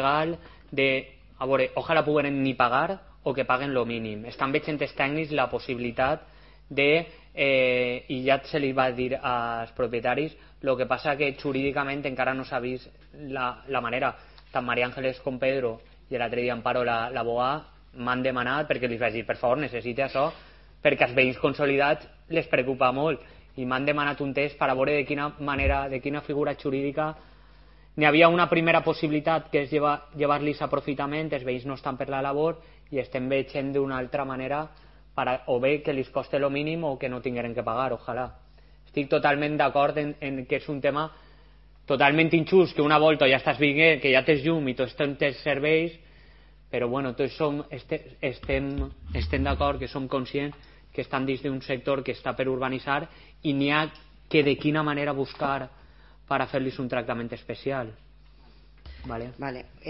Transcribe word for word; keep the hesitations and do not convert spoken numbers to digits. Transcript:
legal de, a veure, ojalà puguen ni pagar o que paguen lo mínim. Estan veient els tècnics la possibilitat de, eh, i ja se li va dir als propietaris, el que passa que jurídicament encara no s'ha vist la, la manera. Tant Maria Ángeles com Pedro i l'altre dia Amparo, l'abogada, m'han demanat perquè li vaig dir, per favor, necessite això, perquè als veïns consolidats les preocupa molt, i m'han demanat un test per a veure de quina manera, de quina figura jurídica. N'hi havia una primera possibilitat, que és llevar, llevar-los aprofitament, els veïns no estan per la labor, i estem veient d'una altra manera, per a, o bé que els costi el mínim o que no tingueren que pagar, ojalà. Estic totalment d'acord en, en que és un tema totalment injust, que una volta ja estàs veient, que ja tens llum i tots tens serveis, però bueno, tots som, este, estem, estem d'acord, que som conscients que estan dins d'un sector que està per urbanitzar i n'hi ha que de quina manera buscar per a fer-los un tractament especial. Vale. Vale. Eh...